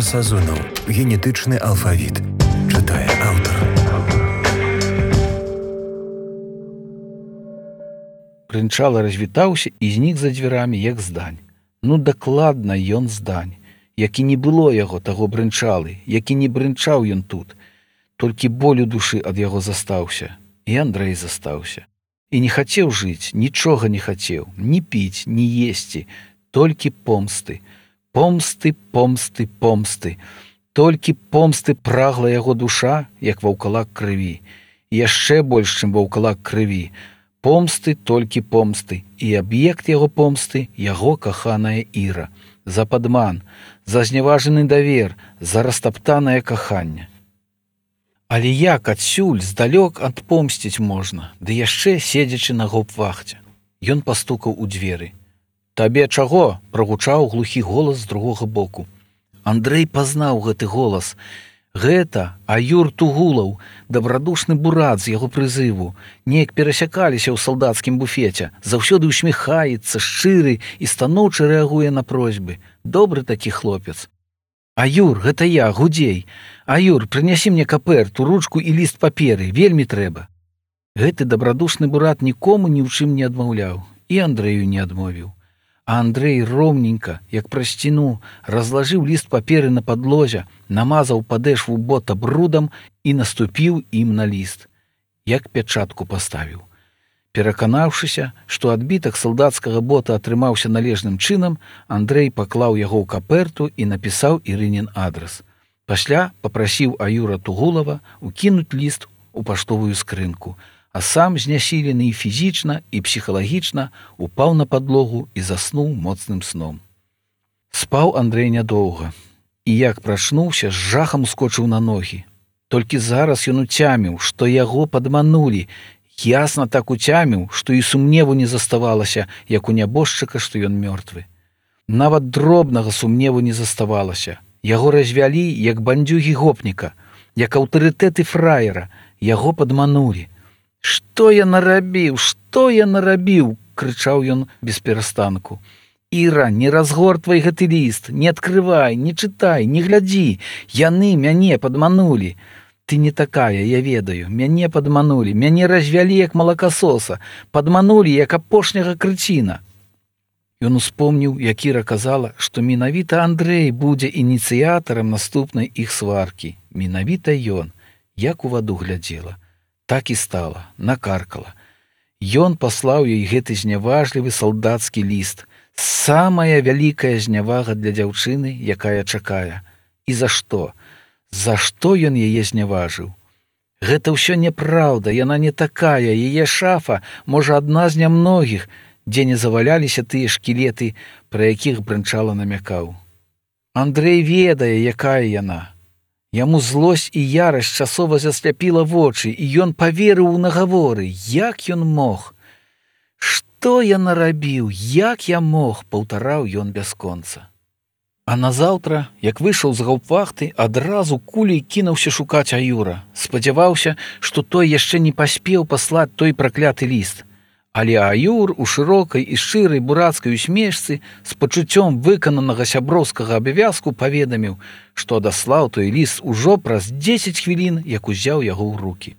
Сазонаў. Генетычны алфавіт. Чытае аўтар. Брынчала развітаўся і знік за дзвярамі, як здань. Ну, дакладна ён здань. Як і не было яго, таго брынчалы, як і не брынчаў ён тут. Толькі боль у душы ад яго застаўся. І Андрэй застаўся. І не хацеў жыць, нічога не хацеў, ні піць, ні есці, толькі помсты. Помсты, помсты, помсты. Толькі помсты прагла яго душа, як ваўкалак крыві. І яшчэ больш, чым ваўкалак крыві. Помсты, толькі помсты. І аб'ект яго помсты — яго каханая Іра. За падман, за зняважаны давер, за растаптанае каханне. Але як адсюль здалёк адпомсціць можна, ды яшчэ седзячы на гауптвахце? Ён пастукаў у дзверы. «Табе чаго?» — прагучаў глухі голас з другога боку. Андрэй пазнаў гэты голас. Гэта Аюр Тугулаў, дабрадушны бурат з яго прызыву. Неяк перасякаліся ў салдацкім буфеце. Заўсёды ўсміхаецца, шчыры і станоўча рэагуе на просьбы. Добры такі хлопец. «Аюр, гэта я, Гудзей. Аюр, прынясі мне каперту, ручку і ліст паперы, вельмі трэба». Гэты дабрадушны бурат нікому ні ў чым не адмаўляў. І Андрэю не адмовіў. А Андрэй роўненька, як праз сцяну, разлажыў ліст паперы на падлозе, намазаў падэшву бота брудам і наступіў ім на ліст. Як пячатку паставіў. Пераканаўшыся, што адбітак салдацкага бота атрымаўся належным чынам, Андрэй паклаў яго ў каперту і напісаў Ірынін адрас. Пасля папрасіў Аюра Тугулава укінуць ліст у паштовую скрынку, а сам, знясілены і фізічна, і псіхалагічна, упаў на падлогу і заснуў моцным сном. Спаў Андрэй нядоўга, і як прачнуўся, з жахам ускочыў на ногі. Толькі зараз ён уцяміў, што яго падманулі, ясна так уцяміў, што і сумневу не заставалася, як у нябожчыка, што ён мёртвы. Нават дробнага сумневу не заставалася. Яго развялі, як бандзюгі гопніка, як аўтарытэты фраера. Яго падманулі. «Што я нарабіў? Што я нарабіў?» — крычаў ён без перастанку. «Іра, не разгортвай гэты ліст, не адкрывай, не чытай, не глядзі. Яны мяне падманулі. Ты не такая, я ведаю. Мяне падманулі, мяне развялі як малакасоса, падманулі як апошняга крыціна». Ён успомніў, як Іра казала, што менавіта Андрэй будзе ініцыятарам наступнай іх сваркі. Менавіта ён, як у ваду глядзела. Так і стала, накаркала. Ён паслаў ёй гэты зняважлівы салдацкі ліст. Самая вялікая знявага для дзяўчыны, якая чакае. І за што? За што ён яе зняважыў? Гэта ўсё няпраўда, яна не такая, яе шафа, можа, адна з нямногіх, дзе не заваляліся тыя шкілеты, пра якіх Брынчала намякаў. Андрэй ведае, якая яна. Яму злосць і ярасць часова засляпіла вочы, і ён паверыў у нагаворы. Як ён мог? «Што я нарабіў? Як я мог?» — паўтараў ён бясконца. А назаўтра, як выйшаў з гауптвахты, адразу куляй кінуўся шукаць Аюра. Спадзяваўся, што той яшчэ не паспеў паслаць той пракляты ліст. Але Аюр у шырокай і шчырай бурацкай усмешцы з пачуццём выкананага сяброўскага абавязку паведаміў, што адаслаў той ліст ужо праз 10 хвілін, як узяў яго ў рукі.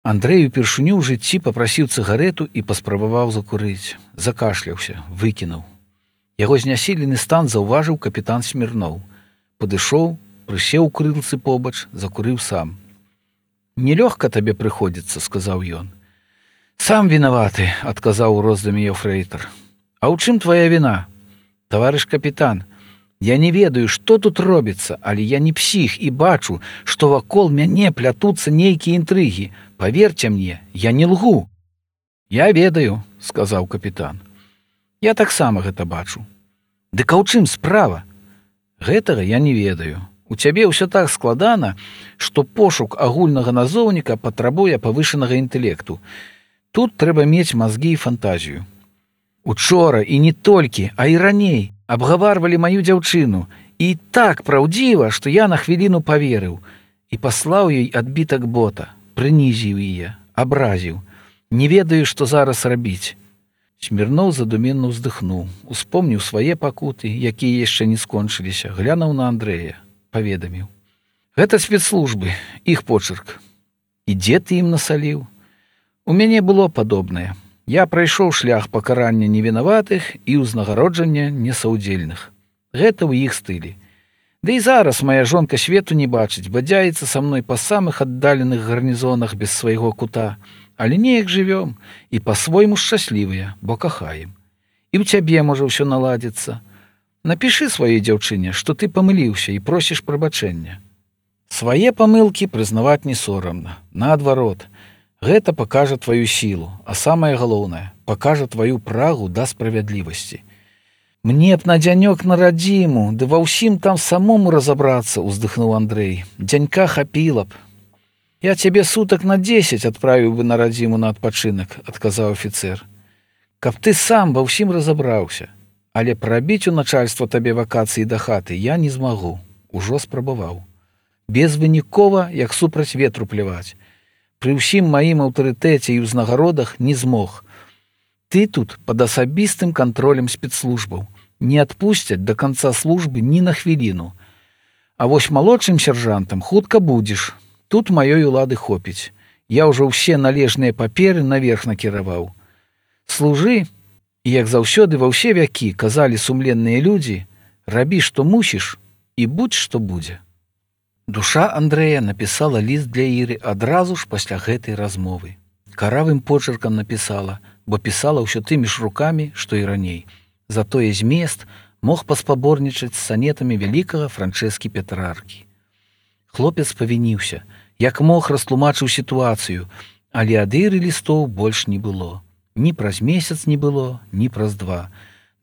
Андрэй упершыню ў жыцці папрасіў цыгарэту і паспрабаваў закурыць. Закашляўся, выкінуў. Яго знясілены стан заўважыў капітан Смірноў. Падышоў, прысеў у крылцы побач, закурыў сам. «Нелёгка табе прыходзіцца», — сказаў ён. «Сам вінаваты», — адказаў у роздуме ефрэйтар. «А ў чым твая віна?» «Таварыш капітан, я не ведаю, што тут робіцца, але я не псіх і бачу, што вакол мяне плятуцца нейкія інтрыгі. Паверце мне, я не лгу». «Я ведаю», — сказаў капітан. «Я таксама гэта бачу». «Дык а ў чым справа?» «Гэтага я не ведаю. У цябе ўсё так складана, што пошук агульнага назоўніка патрабуе павышанага інтэлекту. Тут трэба мець мазгі і фантазію. Учора і не толькі, а і раней абгаварвалі маю дзяўчыну. І так праўдзіва, што я на хвіліну паверыў. І паслаў ёй адбітак бота, прынізіў яе, абразіў. Не ведаю, што зараз рабіць». Смірноў задуменна ўздыхнуў, успомніў свае пакуты, якія яшчэ не скончыліся, глянуў на Андрэя. паведаміў: гэта спецслужбы, іх почырк. І дзе ты ім насаліў? У мяне было падобнае. Я прайшоў шлях пакарання невінаватых і ўзнагароджання несаўдзельных. Гэта ў іх стылі. Ды і зараз мая жонка свету не бачыць, бадзяецца са мной па самых аддаленых гарнізонах без свайго кута, але неяк жывём і па-свойму шчаслівыя, бо кахаем. І ў цябе можа ўсё наладзіцца. Напішы сваёй дзяўчыне, што ты памыліўся і просіш прабачэння. Свае памылкі прызнаваць не сорамна. Наадварот, гэта пакажа тваю сілу, а самае галоўнае, пакажа тваю прагу да справядлівасці. Мне б на дзянёк на радзіму, ды ва ўсім там самому разабрацца, уздыхнуў Андрэй. Дзянька хапіла б. Я цябе сутак на 10 адправіў бы на радзіму на адпачынак, адказаў афіцэр. Каб ты сам ва ўсім разабраўся. Але прабіць у начальства табе вакацыі да хаты я не змагу. Ужо спрабаваў. Безвынікова, як супраць ветру пляваць. Пры ўсім маім аўтарытэце і ўзнагародах не змог. Ты тут пад асабістым кантролем спецслужбаў. Не адпусцяць да канца службы ні на хвіліну. А вось малодшым сяржантам хутка будзеш. Тут маёй улады хопіць. Я ўжо ўсе належныя паперы наверх накіраваў. Служы, і як заўсёды ва ўсе вякі казалі сумленныя людзі, рабі, што мусіш, і будзь, што будзе. Душа Андрэя напісала ліст для Іры адразу ж пасля гэтай размовы. Каравым почыркам напісала, бо пісала ўсё тымі ж рукамі, што і раней. Затое змест мог паспаборнічаць з санетамі вялікага Франчэскі Петраркі. Хлопец павініўся, як мог растлумачыў сітуацыю, але ад Іры лістоў больш не было. Ні праз месяц не было, ні праз 2.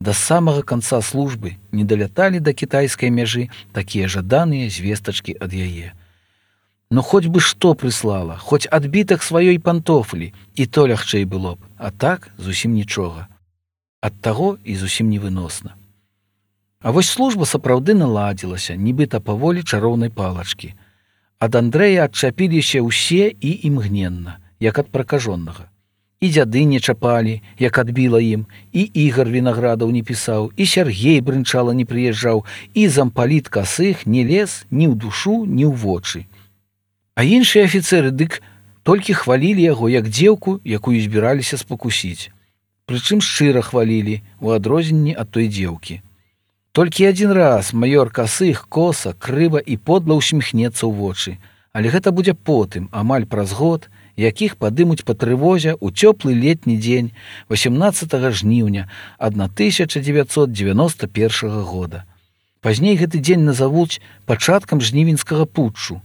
Да самага канца службы не даляталі да кітайскай мяжы такія жаданыя звестачкі ад яе. Ну хоць бы што прыслала, хоць адбітак сваёй пантофлі, і то лягчэй было б, а так зусім нічога. Ад таго і зусім невыносна. А вось служба сапраўды наладзілася, нібыта паволі чароўнай палачкі. Ад Андрэя адчапіліся ўсе і імгненна, як ад пракажоннага. І дзяды не чапалі, як адбіла ім, і Ігар Вінаградаў не пісаў, і Сяргей Брынчала не прыязджаў, і зампаліт Касых не лез ні ў душу, ні ў вочы. А іншыя афіцэры дык толькі хвалілі яго як дзеўку, якую збіраліся спакусіць. Прычым шчыра хвалілі, у адрозненні ад той дзеўкі. Толькі адзін раз маёр Касых коса, крыва і подла усміхнецца ў вочы, але гэта будзе потым, амаль праз год, якіх падымуць па трывозе ў цёплы летні дзень 18 жніўня 1991 года. Пазней гэты дзень назавуць пачаткам жнівеньскага путчу.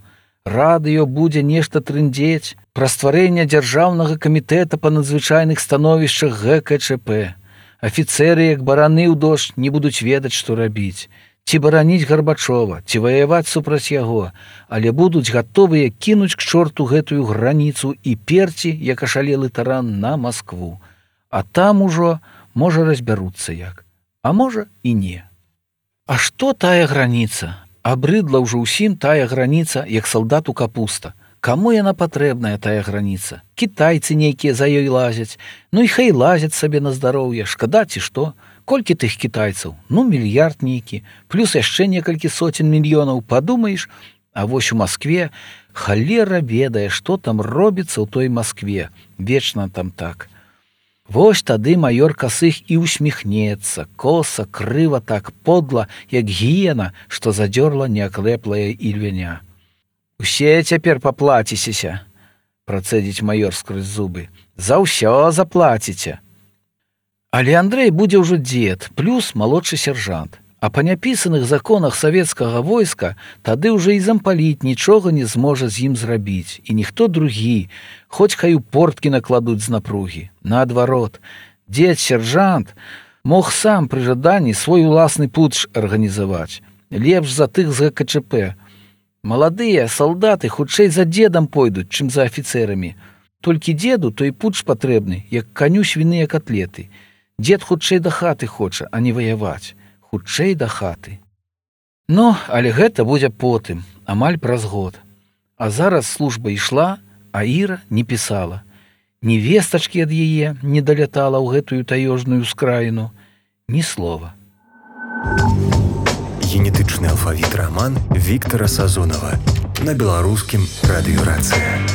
Радыё будзе нешта трындзець пра стварэнне дзяржаўнага камітэта па надзвычайных становішчах ГКЧП. Афіцэры, як бараны ў дождж, не будуць ведаць, што рабіць. Ці бараніць Гарбачова, ці ваяваць супраць яго, але будуць гатовыя кінуць к чорту гэтую граніцу і перці, як ашалелы таран, на Маскву. А там ужо, можа, разбяруцца як. А можа, і не. А што тая граніца? Абрыдла ўжо ўсім тая граніца, як салдату капуста. Каму яна патрэбная, тая граніца? Кітайцы нейкія за ёй лазяць. Ну і хай лазяць сабе на здароўе, шкада ці што? Колькі тых кітайцаў? Ну, мільярд нейкі, плюс яшчэ некалькі сотен мільёнаў, падумаеш, а вось у Маскве халера ведае, што там робіцца ў той Маскве, вечна там так. Вось тады маёр Касых і усміхнецца, коса, крыва так, подла, як гіена, што задзёрла неакрэплая ільвяня. Усе цяпер паплацісеся, працэдзіць маёр скрозь зубы, за ўсё заплаціце. Але Андрэй будзе ўжо дзед, плюс малодшы сяржант. А па няпісаных законах савецкага войска тады ўжо і зампаліт нічога не зможа з ім зрабіць. І ніхто другі, хоць хай у порткі накладуць з напругі. Наадварот, дзед-сяржант мог сам пры жаданні свой уласны путч арганізаваць. Лепш за тых з ГКЧП. Маладыя салдаты хутчэй за дзедам пойдуць, чым за афіцэрамі. Толькі дзеду той путч патрэбны, як каню свіныя катлеты. Дзед хутчэй да хаты хоча, а не ваяваць. Хутчэй да хаты. Ну, але гэта будзе потым, амаль праз год. А зараз служба ішла, а Іра не пісала. Ні вестачкі ад яе не далятала ў гэтую таёжную скраіну, ні слова. Генетычны алфавіт раман Віктара Сазонава на беларускім радыёрацыя.